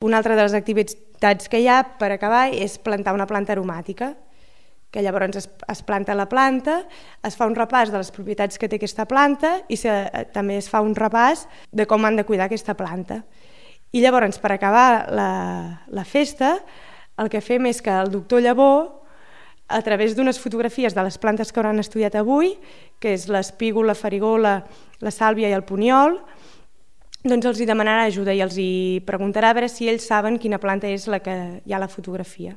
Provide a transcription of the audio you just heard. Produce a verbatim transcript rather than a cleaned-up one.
Una altra de les activitats que hi ha per acabar és plantar una planta aromàtica, que llavors es, es planta la planta, es fa un repàs de les propietats que té aquesta planta i se, també es fa un repàs de com han de cuidar aquesta planta. I llavors, per acabar la, la festa, el que fem és que el doctor Llavó, a través d'unes fotografies de les plantes que hauran estudiat avui, que és l'espígol, la farigola, la sàlvia i el puniol, doncs els hi demanarà ajuda i els hi preguntarà a veure si ells saben quina planta és la que hi ha a la fotografia.